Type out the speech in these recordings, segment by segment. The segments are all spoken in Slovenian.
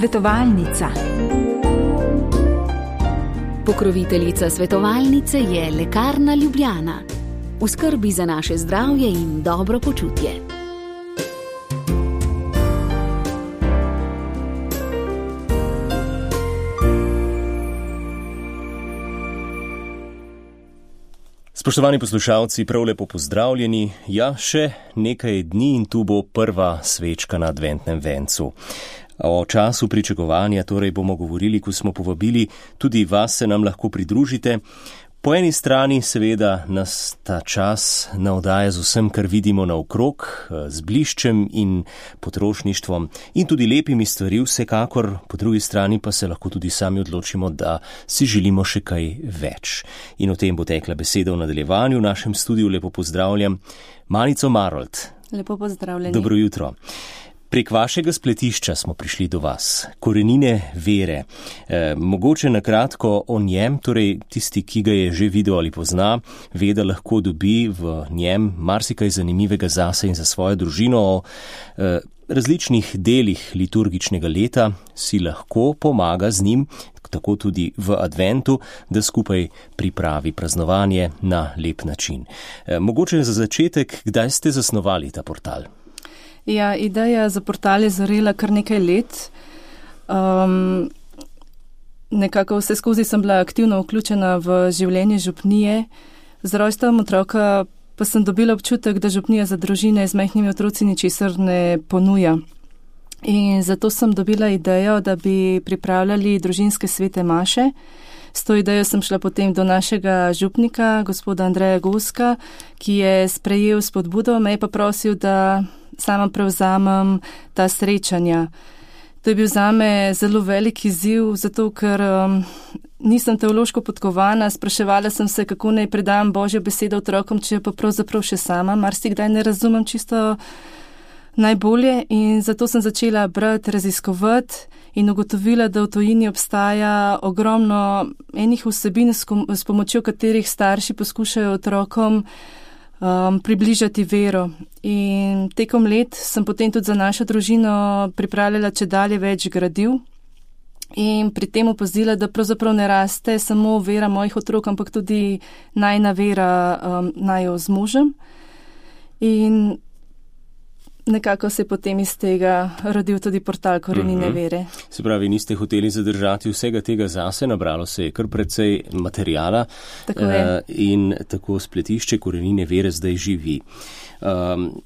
Svetovalnica. Pokroviteljica svetovalnice je Lekarna Ljubljana. V skrbi za naše zdravje in dobro počutje. Spoštovani poslušalci, prav lepo pozdravljeni. Ja, še nekaj dni in tu bo prva svečka na adventnem vencu. O času pričakovanja torej bomo govorili, ko smo povabili tudi vas, se nam lahko pridružite. Po eni strani seveda nas ta čas navdaja z vsem, kar vidimo naokrog, z bliščem in potrošništvom in tudi lepimi stvari vsekakor, po drugi strani pa se lahko tudi sami odločimo, da si želimo še kaj več. In o tem bo tekla beseda v nadaljevanju. V našem studiu lepo pozdravljam Manico Marolt. Lepo pozdravljeni. Dobro jutro. Prek vašega spletišča smo prišli do vas, Korenine vere. Mogoče na kratko o njem, torej tisti, ki ga je že videl ali pozna, ve, da lahko dobi v njem marsikaj zanimivega zase in za svojo družino. O različnih delih liturgičnega leta si lahko pomaga z njim, tako tudi v adventu, da skupaj pripravi praznovanje na lep način. Mogoče za začetek, kdaj ste zasnovali ta portal? Ja, ideja za portal je zorela kar nekaj let. Nekako vse skozi sem bila aktivno vključena v življenje župnije. Z rojstvom otroka pa sem dobila občutek, da župnija za družine z majhnimi otroci ničesar ne ponuja. In zato sem dobila idejo, da bi pripravljali družinske svete maše. S to idejo sem šla potem do našega župnika, gospoda Andreja Goska, ki je sprejel spodbudo, me je pa prosil, da sama prevzamem ta srečanja. To je bil zame zelo velik izziv, zato ker nisem teološko podkovana, spraševala sem se, kako naj predam Božjo besedo otrokom, če pa pravzaprav še sama marsikdaj ne razumem čisto najbolje, in zato sem začela brati, raziskovati in ugotovila, da v tujini obstaja ogromno enih vsebin, s pomočjo katerih starši poskušajo otrokom približati vero. In tekom let sem potem tudi za našo družino pripravljala čedalje več gradiv in pri tem opazila, da pravzaprav ne raste samo vera mojih otrok, ampak tudi najina vera naju z možem. In nekako se je potem iz tega rodil tudi portal Korenine vere. Se pravi, niste hoteli zadržati vsega tega zase, nabralo se je kar precej materijala. Tako je. In tako spletišče Korenine vere zdaj živi.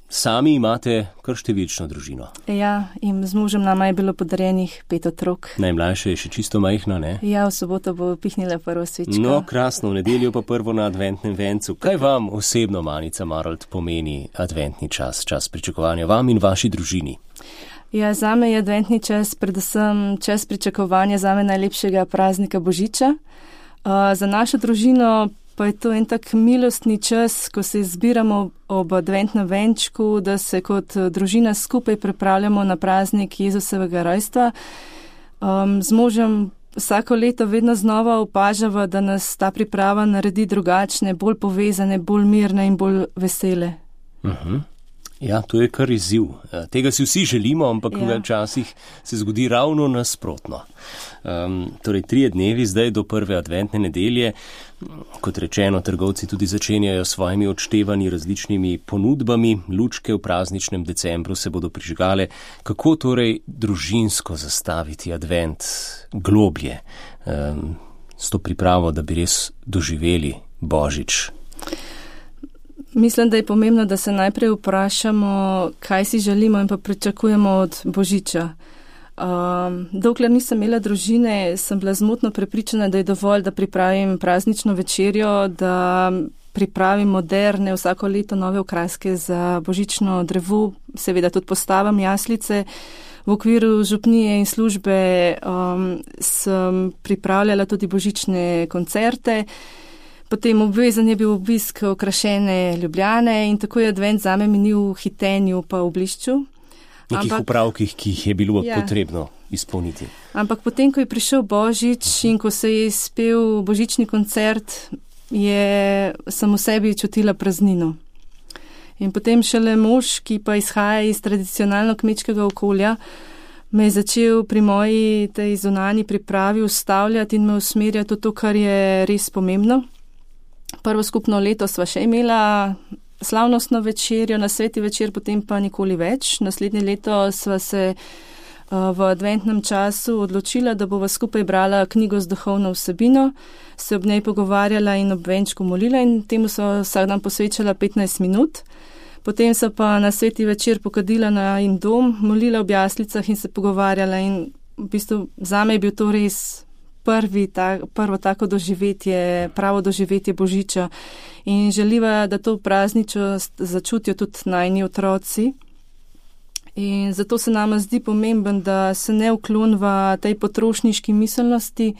Sami imate kar številčno družino. Ja, in z možem nama je bilo podarjenih 5 otrok. Najmlajša je še čisto majhna, ne? Ja, v soboto bo pihnila prvo svečko. No, krasno, v nedeljo pa prvo na adventnem vencu. Kaj vam osebno, Manica Marolt, pomeni adventni čas, čas pričakovanja vam in vaši družini? Ja, zame je adventni čas predvsem čas pričakovanja zame najlepšega praznika Božiča. Za našo družino pa je to en tak milostni čas, ko se zbiramo ob adventnem venčku, da se kot družina skupaj pripravljamo na praznik Jezusovega rojstva. Z možem vsako leto vedno znova opažava, da nas ta priprava naredi drugačne, bolj povezane, bolj mirne in bolj vesele. Ja, to je kar izziv. Tega si vsi želimo, ampak včasih se zgodi ravno nasprotno. Torej, 3 dnevi zdaj do prve adventne nedelje. Kot rečeno, trgovci tudi začenjajo s svojimi odštevanji različnimi ponudbami. Lučke v prazničnem decembru se bodo prižgale. Kako torej družinsko zastaviti advent globlje, s to pripravo, da bi res doživeli Božič? Mislim, da je pomembno, da se najprej vprašamo, kaj si želimo in pa pričakujemo od Božiča. Dokler nisem imela družine, sem bila zmotno prepričana, da je dovolj, da pripravim praznično večerjo, da pripravim moderne, vsako leto nove okraske za božično drevo, seveda tudi postavim jaslice. V okviru župnije in službe sem pripravljala tudi božične koncerte. Potem obvezen je bil obisk okrašene Ljubljane in tako je advent zame minil v hitenju pa v blišču. Nekih upravkih, ki jih je bilo potrebno izpolniti. Ampak potem, ko je prišel Božič in ko se je izpel božični koncert, sem v sebi čutila praznino. In potem šele mož, ki pa izhaja iz tradicionalno kmečkega okolja, me je začel pri moji tej zunanji pripravi ustavljati in me usmerjati v to, kar je res pomembno. Prvo skupno leto sva še imela slavnostno večerjo, na sveti večer, potem pa nikoli več. Naslednje leto sva se v adventnem času odločila, da bova skupaj brala knjigo z duhovno vsebino, se ob njej pogovarjala in ob venčku molila in temu sva vsak dan posvečala 15 minut. Potem so pa na sveti večer pokadila na in dom, molila ob jaslicah in se pogovarjala in v bistvu zame je bil to res prvo tako doživetje, pravo doživetje Božiča in želiva, da to prazničnost začutijo tudi najni otroci. In zato se nama zdi pomemben, da se ne uklonva tej potrošniški miselnosti,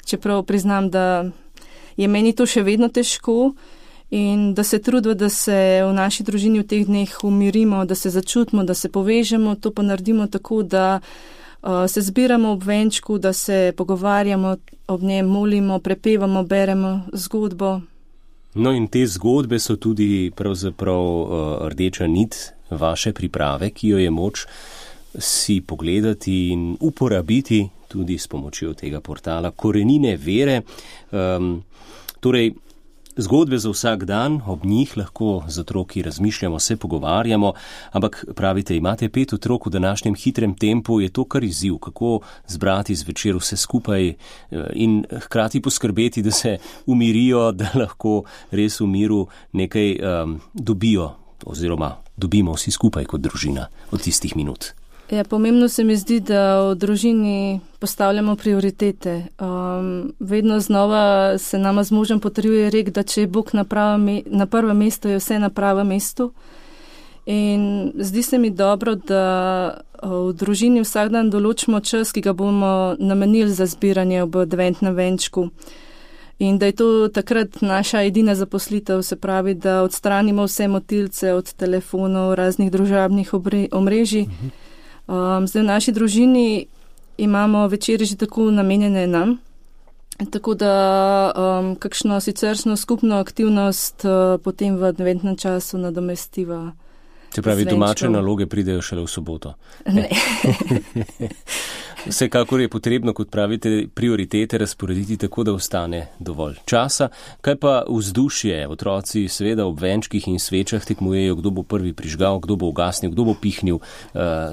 čeprav priznam, da je meni to še vedno težko, in da se trudimo, da se v naši družini v teh dneh umirimo, da se začutimo, da se povežemo, to pa naredimo tako, da se zbiramo ob venčku, da se pogovarjamo ob njem, molimo, prepevamo, beremo zgodbo. No in te zgodbe so tudi pravzaprav rdeča nit vaše priprave, ki jo je moč si pogledati in uporabiti tudi s pomočjo tega portala Korenine vere. Torej, zgodbe za vsak dan, ob njih lahko z otroki razmišljamo, se pogovarjamo, ampak pravite, imate 5 otrok v današnjem hitrem tempu, je to kar izziv, kako zbrati zvečer vse skupaj in hkrati poskrbeti, da se umirijo, da lahko res v miru nekaj dobijo oziroma dobimo vsi skupaj kot družina od tistih minut. Ja, pomembno se mi zdi, da v družini postavljamo prioritete. Vedno znova se nama z možem potrjuje rek, da če je Bog na prvem mestu, je vse na pravem mestu. In zdi se mi dobro, da v družini vsak dan določimo čas, ki ga bomo namenili za zbiranje ob adventnem venčku. In da je to takrat naša edina zaposlitev, se pravi, da odstranimo vse motilce od telefonov, raznih družabnih omrežij. Zdaj v naši družini imamo večeri že tako namenjene nam, tako da kakšno siceršno skupno aktivnost potem v adventnem času nadomestiva. Se pravi, domače naloge pridejo šele v soboto. Ne. Vsekakor je potrebno, kot pravite, prioritete razporediti tako, da ostane dovolj časa. Kaj pa vzdušje? Otroci seveda ob venčkih in svečah tekmujejo, kdo bo prvi prižgal, kdo bo ugasnil, kdo bo pihnil.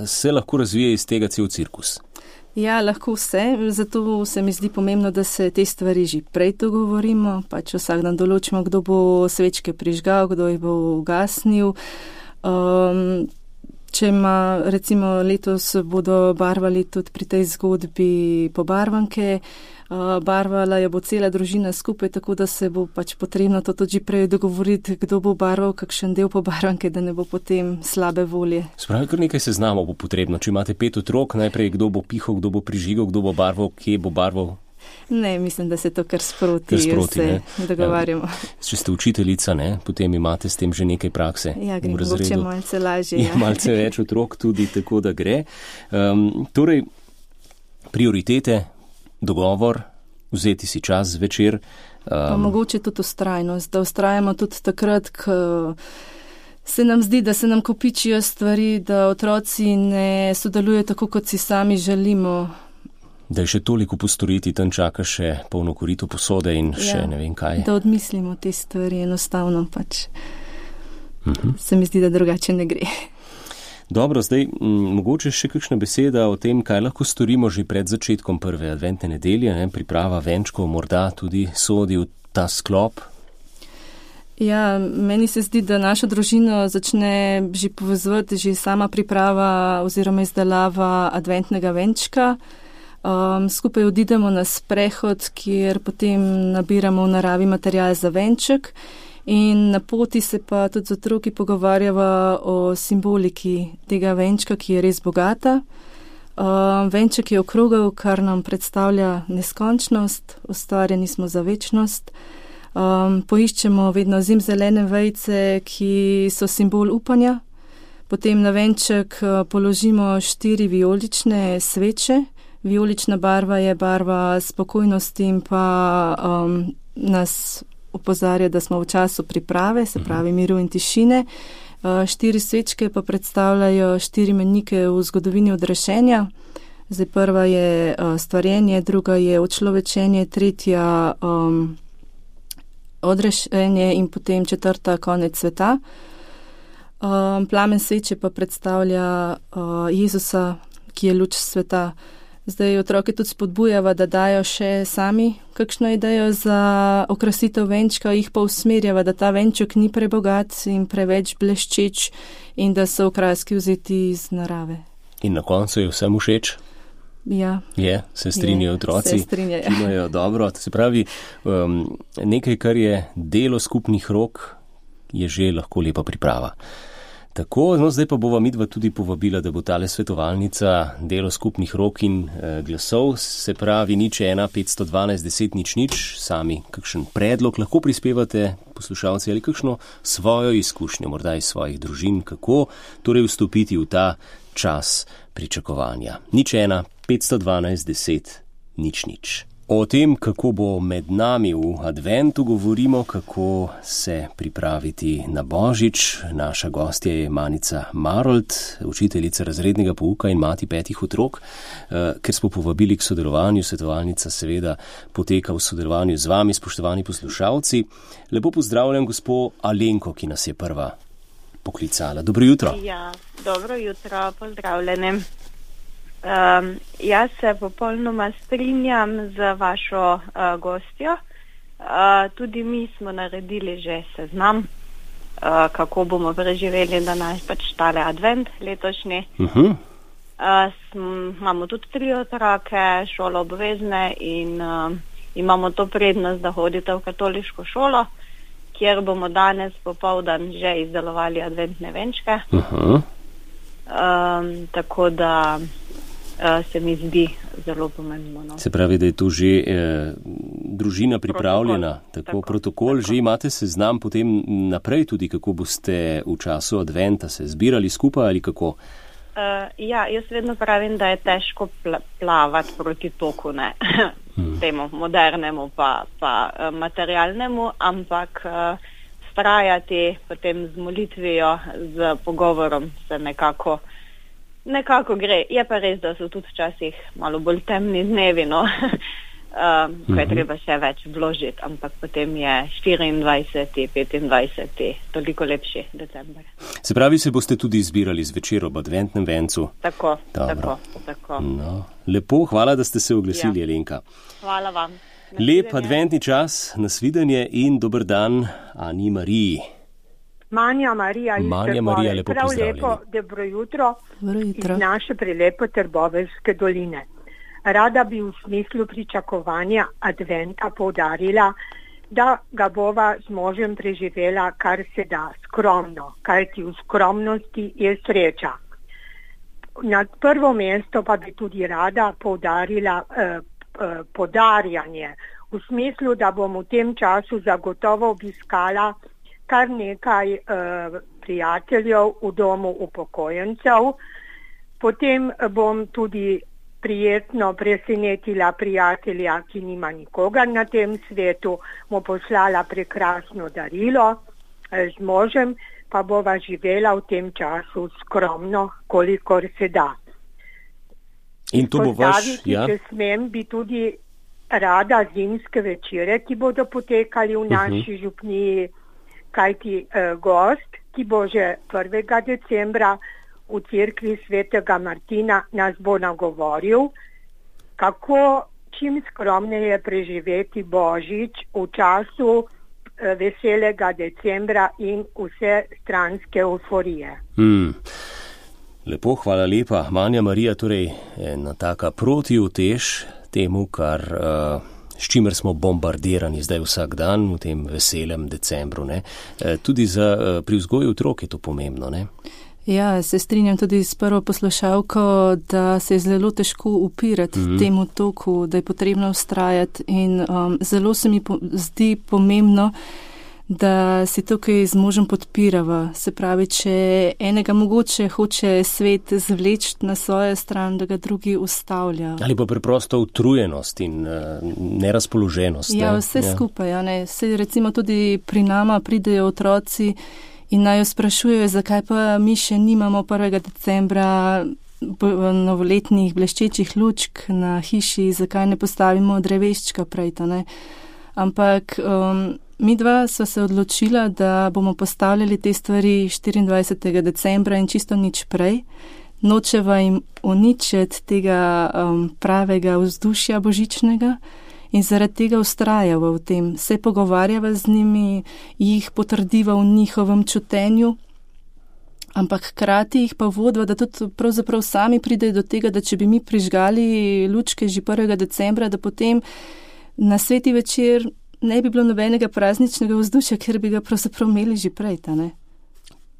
Se lahko razvije iz tega cel cirkus? Ja, lahko vse. Zato se mi zdi pomembno, da se te stvari že prej dogovorimo. Pač vsak dan določimo, kdo bo svečke prižgal, kdo jih bo ugasnil. Če ima, recimo letos bodo barvali tudi pri tej zgodbi pobarvanke, barvala jo bo cela družina skupaj, tako da se bo pač potrebno to tudi prej dogovoriti, kdo bo barval kakšen del pobarvanke, da ne bo potem slabe volje. Spravi, kar nekaj seznamov bo potrebno. Če imate 5 otrok, najprej kdo bo pihal, kdo bo prižigal, kdo bo barval, kje bo barval. Ne, mislim, da se to kar sproti se dogovarjamo. Če ste učiteljica, ne, potem imate s tem že nekaj prakse. Ja, gre mogoče malce lažje. Ja. Malce več otrok tudi, tako da gre. Torej, prioritete, dogovor, vzeti si čas zvečer. Pa mogoče tudi vztrajnost, da vztrajamo tudi takrat, ko se nam zdi, da se nam kopičijo stvari, da otroci ne sodelujejo tako, kot si sami želimo. Da je še toliko postoriti, tam čaka še polno korito posode in še ne vem kaj. Da odmislimo te stvari enostavno pač. Se mi zdi, da drugače ne gre. Dobro, zdaj mogoče še kakšna beseda o tem, kaj lahko storimo že pred začetkom prve adventne nedelje, ne? Priprava venčkov morda tudi sodi v ta sklop. Ja, meni se zdi, da našo družino začne že povezovati že sama priprava oziroma izdelava adventnega venčka. Skupaj odidemo na sprehod, kjer potem nabiramo v naravi material za venček in na poti se pa tudi z otroki pogovarjava o simboliki tega venčka, ki je res bogata. Venček je okrogel, kar nam predstavlja neskončnost, ustvarjeni smo za večnost. Poiščemo vedno zimzelene vejice, ki so simbol upanja. Potem na venček položimo 4 vijolične sveče. Vijolična barva je barva spokojnosti in pa nas opozarja, da smo v času priprave, se pravi miru in tišine. 4 svečke pa predstavljajo 4 menike v zgodovini odrešenja. Zdaj prva je stvarjenje, druga je očlovečenje, tretja odrešenje in potem četrta konec sveta. Plamen sveče pa predstavlja Jezusa, ki je luč sveta. Zdaj otroke tudi spodbujava, da dajo še sami kakšno idejo za okrasitev venčka, jih pa usmerjava, da ta venček ni prebogat in preveč bleščeč in da so okraski vzeti iz narave. In na koncu je vsem všeč? Ja. Se strinjajo otroci? Se strinjajo. Imajo dobro. To se pravi, nekaj, kar je delo skupnih rok, je že lahko lepa priprava. Tako, zdaj pa bova midva tudi povabila, da bo tale svetovalnica delo skupnih rok in glasov, se pravi 01 512 10 00, sami kakšen predlog lahko prispevate, poslušalci, ali kakšno svojo izkušnjo, morda iz svojih družin, kako torej vstopiti v ta čas pričakovanja. 01 512 10 00. O tem, kako bo med nami v adventu, govorimo, kako se pripraviti na Božič. Naša gostja je Manica Marolt, učiteljica razrednega pouka in mati 5 otrok. Ker smo povabili k sodelovanju, svetovalnica seveda poteka v sodelovanju z vami, spoštovani poslušalci. Lepo pozdravljam gospo Alenko, ki nas je prva poklicala. Dobro jutro. Ja, dobro jutro, pozdravljeni. Jaz se popolnoma strinjam z vašo gostjo. Tudi mi smo naredili že seznam, kako bomo preživeli danes pač tale advent letošnji. Imamo tudi 3 otroke, šolo obvezne in imamo to prednost, da hodite v katoliško šolo, kjer bomo danes popoldan že izdelovali adventne venčke. Tako da se mi zdi zelo pomembno. No. Se pravi, da je tu že družina pripravljena, protokol, že imate seznam potem naprej tudi, kako boste v času adventa se zbirali skupaj ali kako? Ja, jaz vedno pravim, da je težko plavati proti toku, ne, temu modernemu pa materialnemu, ampak vztrajati potem z molitvijo, z pogovorom se nekako gre. Je pa res, da so tudi včasih malo bolj temni dnevi, no, ko je treba še več vložiti, ampak potem je 24., 25. toliko lepši december. Se pravi, se boste tudi zbirali zvečer ob adventnem vencu? Tako. No, lepo, hvala, da ste se oglasili, Alenka. Hvala vam. Lep adventni čas, nasvidenje in dober dan Ani Mariji. Manja Marija, lepo pozdravljeni. Prav lepo, dobro jutro iz naše prelepe Trboveljske doline. Rada bi v smislu pričakovanja adventa poudarila, da ga bova z možem preživela kar se da skromno, kajti v skromnosti je sreča. Na prvo mesto pa bi tudi rada poudarila podarjanje, v smislu, da bom v tem času zagotovo obiskala kar nekaj prijateljev v domu upokojencev. Potem bom tudi prijetno presenetila prijatelja, ki nima nikogar na tem svetu, mu poslala prekrasno darilo, z možem pa bova živela v tem času skromno, kolikor se da. In to bo če smem, bi tudi rada zimske večere, ki bodo potekali v naši župniji, kajti gost, ki bo že 1. decembra v cerkvi svetega Martina nas bo nagovoril, kako čim skromneje preživeti Božič v času veselega decembra in vse stranske euforije. Lepo, hvala lepa. Manja Marija, torej ena taka protiutež temu, s čimer smo bombardirani zdaj vsak dan v tem veselem decembru. Ne? Tudi pri vzgoju otrok je to pomembno, ne? Ja, se strinjam tudi s prvo poslušalko, da se je zelo težko upirati temu toku, da je potrebno vztrajati in zelo se mi zdi pomembno, da si tukaj z možem podpirava. Se pravi, če enega mogoče hoče svet zvleči na svojo stran, da ga drugi ustavlja. Ali pa preprosto utrujenost in nerazpoloženost. Ja, vse skupaj. Ja, ne. Se recimo tudi pri nama pridejo otroci in naj jo sprašujejo, zakaj pa mi še nimamo 1. decembra novoletnih bleščečih lučk na hiši, zakaj ne postavimo dreveščka prej, ne? Ampak mi dva sva se odločila, da bomo postavljali te stvari 24. decembra in čisto nič prej. Nočeva jim uničiti tega pravega vzdušja božičnega in zaradi tega ustrajava v tem. Se pogovarjava z njimi, jih potrdiva v njihovem čutenju, ampak hkrati jih pa vodva, da tudi pravzaprav sami pridejo do tega, da če bi mi prižgali lučke že 1. decembra, da potem na sveti večer ne bi bilo nobenega prazničnega vzdušja, ker bi ga pravzaprav imeli že prej, ne?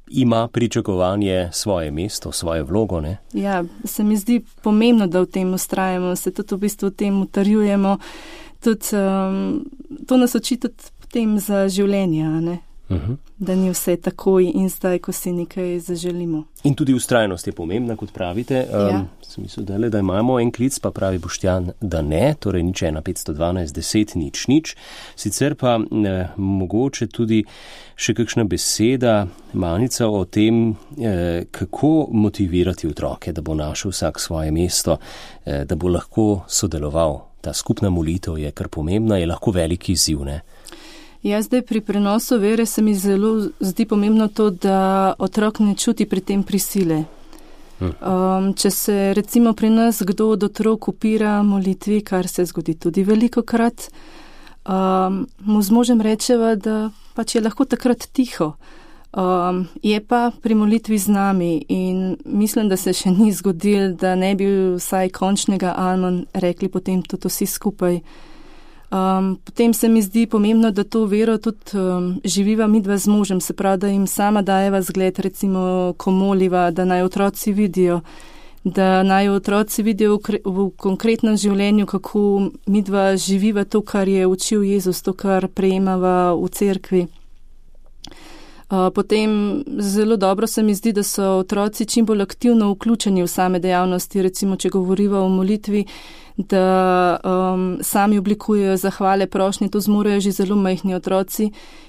Ima pričakovanje svoje mesto, svojo vlogo, ne? Ja, se mi zdi pomembno, da v tem ustrajamo, se tudi v bistvu v tem utrjujemo. Tudi to nas uči tudi potem za življenje, ne? Da ni vse takoj in zdaj, ko si nekaj zaželimo. In tudi ustrajnost je pomembna, kot pravite. Sem mislil, da imamo en klic, pa pravi Boštjan, da ne, torej nič 1 512 10 nič. Sicer pa mogoče tudi še kakšna beseda, Manica, o tem, kako motivirati otroke, da bo našel vsak svoje mesto, da bo lahko sodeloval. Ta skupna molitev je kar pomembna, je lahko veliki izziv, ne? Ja, zdaj pri prenosu vere se mi zelo zdi pomembno to, da otrok ne čuti pri tem prisile. Če se recimo pri nas kdo od otrok upira molitvi, kar se zgodi tudi velikokrat, mu z možem rečeva, da pač je lahko takrat tiho. Je pa pri molitvi z nami in mislim, da se še ni zgodil, da ne bi vsaj končnega amen rekli potem tudi vsi skupaj. Potem se mi zdi pomembno, da to vero tudi živiva midva z možem, se pravi, da jim sama dajeva zgled, recimo, ko moliva, da naj otroci vidijo, v konkretnem življenju, kako midva živiva to, kar je učil Jezus, to, kar prejemava v cerkvi. Potem zelo dobro se mi zdi, da so otroci čim bolj aktivno vključeni v same dejavnosti, recimo, če govoriva o molitvi, da sami oblikujejo zahvale, prošnje, to zmorejo že zelo majhni otroci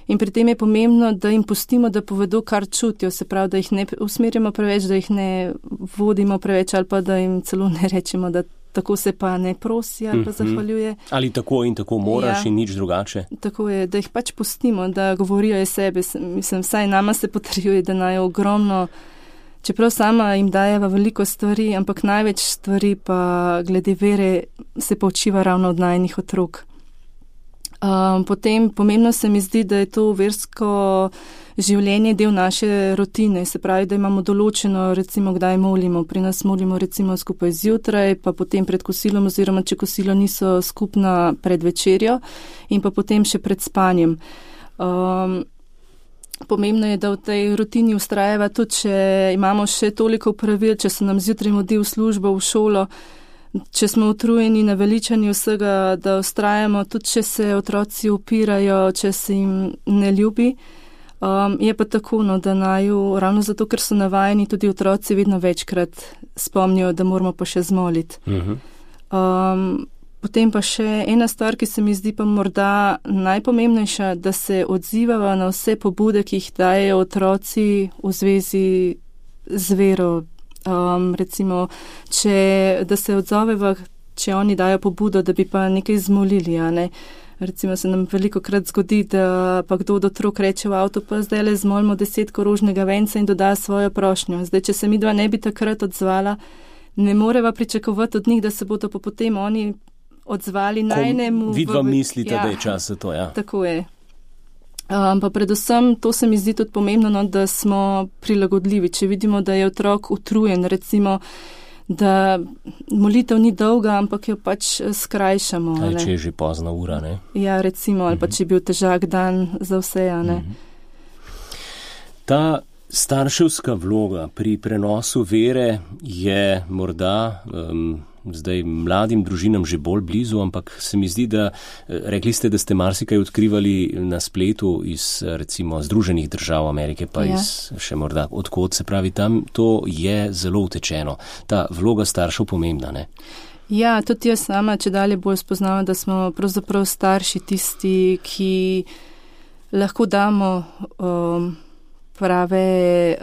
in pri tem je pomembno, da jim pustimo, da povedo, kar čutijo, se pravi, da jih ne usmerjamo preveč, da jih ne vodimo preveč ali pa da jim celo ne rečemo, da tako se pa ne prosi ali pa zahvaljuje. Ali tako in tako moraš in nič drugače. Tako je, da jih pač pustimo, da govorijo iz sebe. Mislim, vsaj nama se potrjuje, da naj ogromno, čeprav sama jim dajeva veliko stvari, ampak največ stvari pa glede vere se poučiva ravno od najnih otrok. Potem pomembno se mi zdi, da je to versko življenje del naše rutine, se pravi, da imamo določeno, recimo, kdaj molimo. Pri nas molimo recimo skupaj zjutraj, pa potem pred kosilom oziroma če kosilo niso skupna pred večerjo in pa potem še pred spanjem. Pomembno je, da v tej rutini ustrajava tudi, če imamo še toliko pravil, če se nam zjutraj mudi v službo, v šolo, če smo utrujeni, naveličani vsega, da ustrajamo, tudi če se otroci upirajo, če se jim ne ljubi. Je pa tako, da naju, ravno zato, ker so navajeni, tudi otroci vedno večkrat spomnijo, da moramo pa še zmoliti. Potem pa še ena stvar, ki se mi zdi pa morda najpomembnejša, da se odzivava na vse pobude, ki jih dajejo otroci v zvezi z vero. Recimo, da se odzoveva, če oni dajo pobudo, da bi pa nekaj zmolili, a ne. Recimo se nam veliko krat zgodi, da pa kdo od otrok reče v avtu, pa zdaj le zmolimo 10 rožnega venca in doda svojo prošnjo. Zdaj, če se midva ne bi takrat odzvala, ne moreva pričakovati od njih, da se bodo pa potem oni odzvali najnemu. Vidva mislite, da je čas za to, ja. Tako je. Pa predvsem to se mi zdi tudi pomembno, da smo prilagodljivi. Če vidimo, da je otrok utrujen, recimo, da molitev ni dolga, ampak jo pač skrajšamo. Ali če je že pozna ura, ne? Ja, recimo, ali pa če je bil težak dan za vse, ne? Ta starševska vloga pri prenosu vere je morda zdaj mladim družinam že bolj blizu, ampak se mi zdi, da rekli ste, da ste marsikaj odkrivali na spletu iz recimo Združenih držav Amerike, pa iz še morda odkot, se pravi, tam to je zelo utečeno. Ta vloga staršev pomembna, ne? Ja, tudi jaz sama, če dalje bolj spoznavam, da smo pravzaprav starši tisti, ki lahko damo prave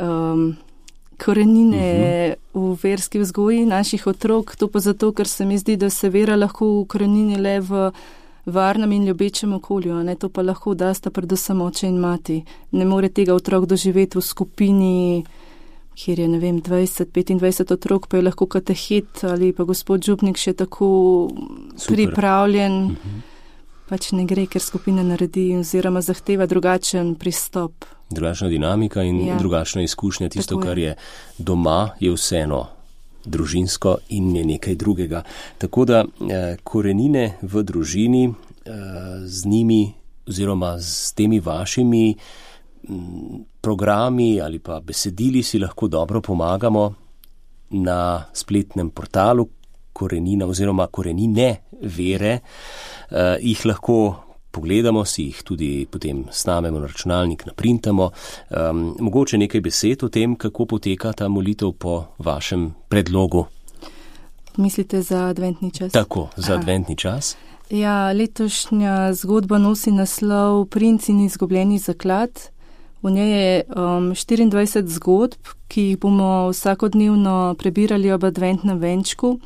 korenine v verski vzgoji naših otrok, to pa zato, ker se mi zdi, da se vera lahko ukorenini le v varnem in ljubečem okolju, ne? To pa lahko dasta predvsem oče in mati. Ne more tega otrok doživeti v skupini, kjer je, 20-25 otrok, pa je lahko katehet ali pa gospod župnik še tako pripravljen. Pač ne gre, ker skupina naredi oziroma zahteva drugačen pristop. Drugačna dinamika in drugačna izkušnja. Tisto, kar je doma, je vseeno družinsko in je nekaj drugega. Tako da korenine v družini z njimi oziroma z temi vašimi programi ali pa besedili si lahko dobro pomagamo na spletnem portalu Korenina oziroma Korenine vere. Jih lahko pogledamo, si jih tudi potem snamemo na računalnik, naprintamo. Mogoče nekaj besed o tem, kako poteka ta molitev po vašem predlogu. Mislite za adventni čas? Tako, za adventni čas. Ja, letošnja zgodba nosi naslov Princ in izgubljeni zaklad. V njej je 24 zgodb, ki jih bomo vsakodnevno prebirali ob adventnem venčku.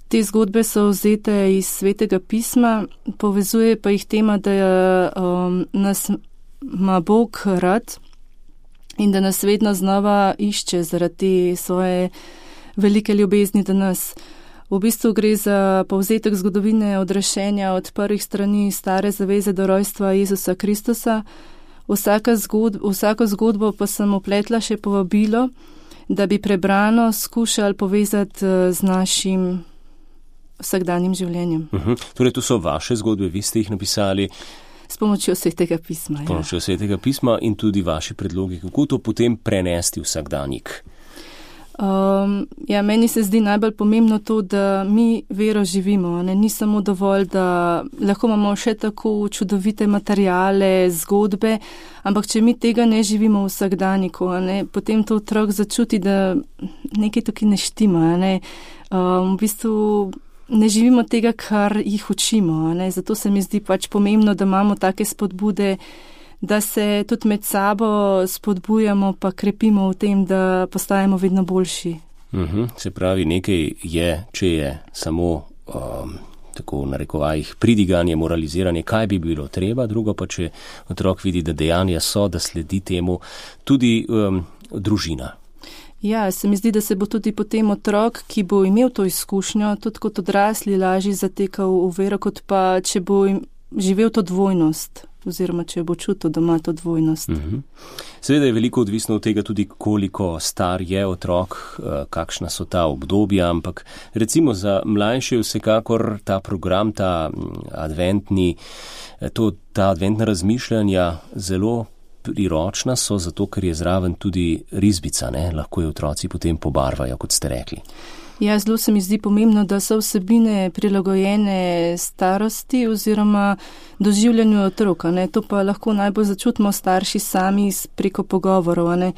Te zgodbe so vzete iz Svetega pisma, povezuje pa jih tema, da nas ima Bog rad in da nas vedno znova išče zaradi te svoje velike ljubezni do nas. V bistvu gre za povzetek zgodovine odrešenja od prvih strani Stare zaveze do rojstva Jezusa Kristusa. Vsako zgodbo pa sem upletla še povabilo, da bi prebrano skušali povezati z našim vsakdanjim življenjem. Torej, to so vaše zgodbe, vi ste jih napisali s pomočjo Svetega pisma. S pomočjo Svetega pisma in tudi vaši predlogi, kako to potem prenesti vsakdanjik. Meni se zdi najbolj pomembno to, da mi vero živimo. Ni samo dovolj, da lahko imamo še tako čudovite materijale, zgodbe, ampak če mi tega ne živimo v vsakdaniku, potem to otrok začuti, da nekaj tukaj ne štima. V bistvu ne živimo tega, kar jih učimo. Zato se mi zdi pač pomembno, da imamo take spodbude, da se tudi med sabo spodbujamo pa krepimo v tem, da postajamo vedno boljši. Se pravi, nekaj je, če je samo tako v narekovajih pridiganje, moraliziranje, kaj bi bilo treba, drugo pa, če otrok vidi, da dejanja so, da sledi temu tudi družina. Ja, se mi zdi, da se bo tudi potem otrok, ki bo imel to izkušnjo, tudi kot odrasli lažje zatekal v vero, kot pa, če bo živel to dvojnost, oziroma če bo čutil, da ima to dvojnost. Seveda je veliko odvisno od tega tudi, koliko star je otrok, kakšna so ta obdobja, ampak recimo za mlajše vsekakor ta program, ta adventna razmišljanja zelo priročna so, zato ker je zraven tudi risbica, lahko jo otroci potem pobarvajo, kot ste rekli. Ja, zelo se mi zdi pomembno, da so vsebine prilagojene starosti oziroma doživljanju otroka. To pa lahko najbolj začutimo starši sami preko pogovorov.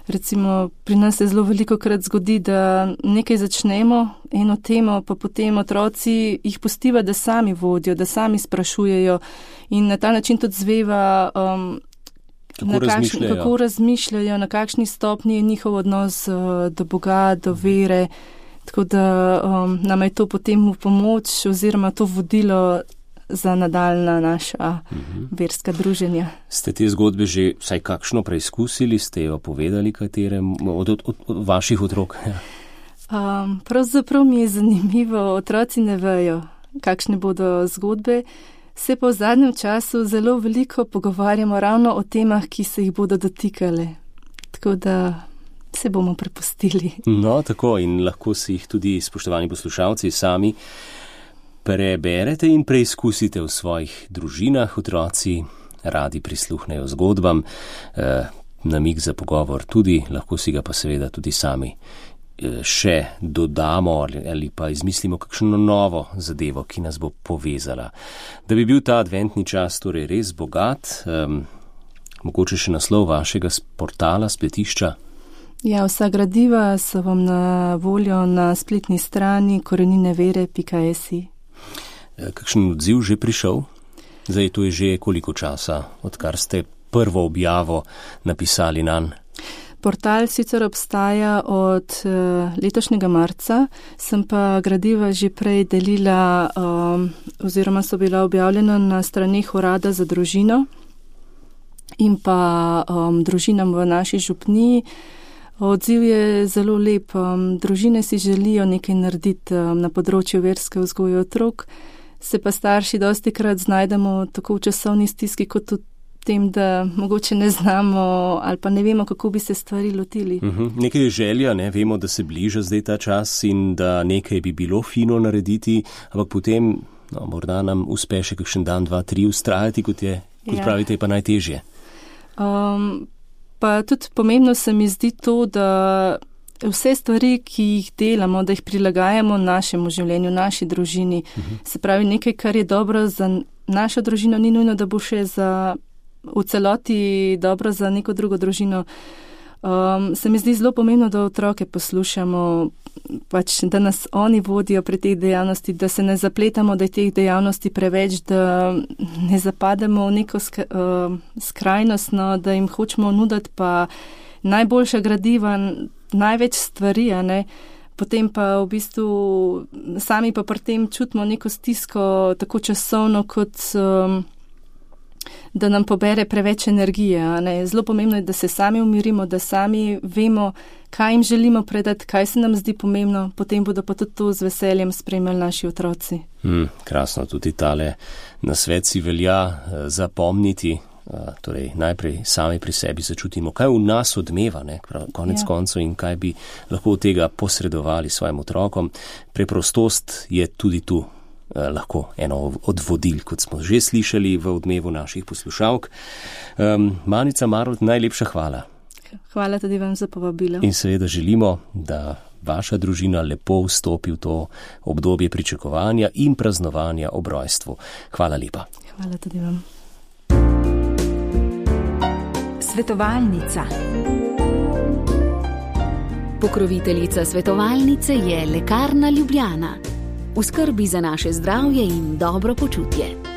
Recimo, pri nas se zelo velikokrat zgodi, da nekaj začnemo, eno temo, pa potem otroci jih pustiva, da sami vodijo, da sami sprašujejo in na ta način tudi zveva, kako razmišljajo, na kakšni stopni je njihov odnos do Boga, do vere. Tako da nam je to potem v pomoč oziroma to vodilo za nadaljna naša verska druženja. Ste te zgodbe že vsaj kakšno preizkusili? Ste jo povedali katerem od vaših otrok? Pravzaprav mi je zanimivo, otroci ne vejo, kakšne bodo zgodbe. Se pa v zadnjem času zelo veliko pogovarjamo ravno o temah, ki se jih bodo dotikale. Tako da se bomo prepustili. No, tako, in lahko si jih tudi, spoštovani poslušalci, sami preberete in preizkusite v svojih družinah. Otroci radi prisluhnejo zgodbam, namig za pogovor tudi, lahko si ga pa seveda tudi sami še dodamo ali pa izmislimo kakšno novo zadevo, ki nas bo povezala. Da bi bil ta adventni čas torej res bogat, mogoče še naslov vašega portala, spletišča? Ja, vsa gradiva so vam na voljo na spletni strani koreninevere.si. Kakšen odziv že prišel? Zdaj, to je že koliko časa, odkar ste prvo objavo napisali nanj? Portal sicer obstaja od letošnjega marca, sem pa gradiva že prej delila oziroma so bila objavljena na straneh Urada za družino in pa družinam v naši župniji. Odziv je zelo lep. Družine si želijo nekaj narediti na področju verske vzgoje otrok, se pa starši dostikrat znajdemo tako v časovni stiski kot v tem, da mogoče ne znamo ali pa ne vemo, kako bi se stvari lotili. Nekaj je želja, ne? Vemo, da se bliža zdaj ta čas in da nekaj bi bilo fino narediti, ampak potem morda nam uspe še kakšen dan, 2, 3 ustrajati, kot pravite, je pa najtežje. Pa tudi pomembno se mi zdi to, da vse stvari, ki jih delamo, da jih prilagajamo našemu življenju, naši družini. Se pravi, nekaj, kar je dobro za našo družino, ni nujno, da bo še v celoti dobro za neko drugo družino. Se mi zdi zelo pomembno, da otroke poslušamo, pač, da nas oni vodijo pri teh dejavnosti, da se ne zapletamo, da je teh dejavnosti preveč, da ne zapademo v neko skrajnost, da jim hočemo nuditi pa najboljša gradiva, največ stvari, potem pa v bistvu sami pa pri tem čutimo neko stisko, tako časovno, kot da nam pobere preveč energije. Zelo pomembno je, da se sami umirimo, da sami vemo, kaj jim želimo predati, kaj se nam zdi pomembno, potem bodo pa tudi to z veseljem spremljali naši otroci. Krasno, tudi tale nasvet si velja zapomniti. Torej, najprej sami pri sebi začutimo, kaj v nas odmeva, konec koncev, in kaj bi lahko od tega posredovali svojim otrokom. Preprostost je tudi tu lahko eno od vodil, kot smo že slišali v odmevu naših poslušalk. Manica Marolt, najlepša hvala. Hvala tudi vam za povabilo. In seveda želimo, da vaša družina lepo vstopi v to obdobje pričakovanja in praznovanja ob rojstvu. Hvala lepa. Hvala tudi vam. Svetovalnica. Pokroviteljica svetovalnice je Lekarna Ljubljana. V skrbi za naše zdravje in dobro počutje.